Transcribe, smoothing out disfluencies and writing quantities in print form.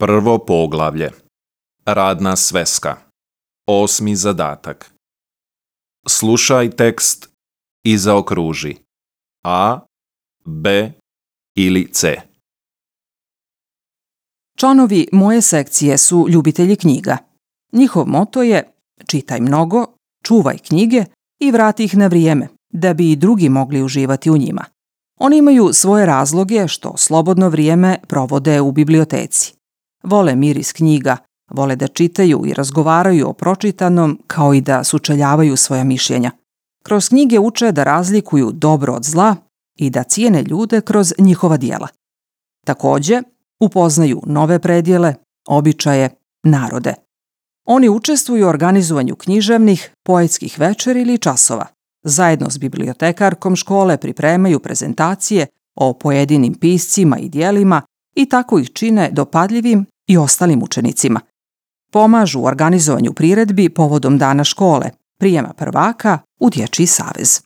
Prvo poglavlje. Radna sveska. 8. zadatak. Slušaj tekst i zaokruži A, B ili C. Članovi moje sekcije su ljubitelji knjiga. Njihov moto je čitaj mnogo, čuvaj knjige i vrati ih na vrijeme, da bi i drugi mogli uživati u njima. Oni imaju svoje razloge što slobodno vrijeme provode u biblioteci. Vole miris knjiga, vole da čitaju i razgovaraju o pročitanom kao i da sučeljavaju svoja mišljenja. Kroz knjige uče da razlikuju dobro od zla i da cijene ljude kroz njihova djela. Također, upoznaju nove predjele, običaje, narode. Oni učestvuju u organizovanju književnih, poetskih večeri ili časova. Zajedno s bibliotekarkom škole pripremaju prezentacije o pojedinim piscima i djelima i tako ih čine dopadljivim i ostalim učenicima. Pomažu u organizovanju priredbi povodom dana škole, prijema prvaka u Dječji savez.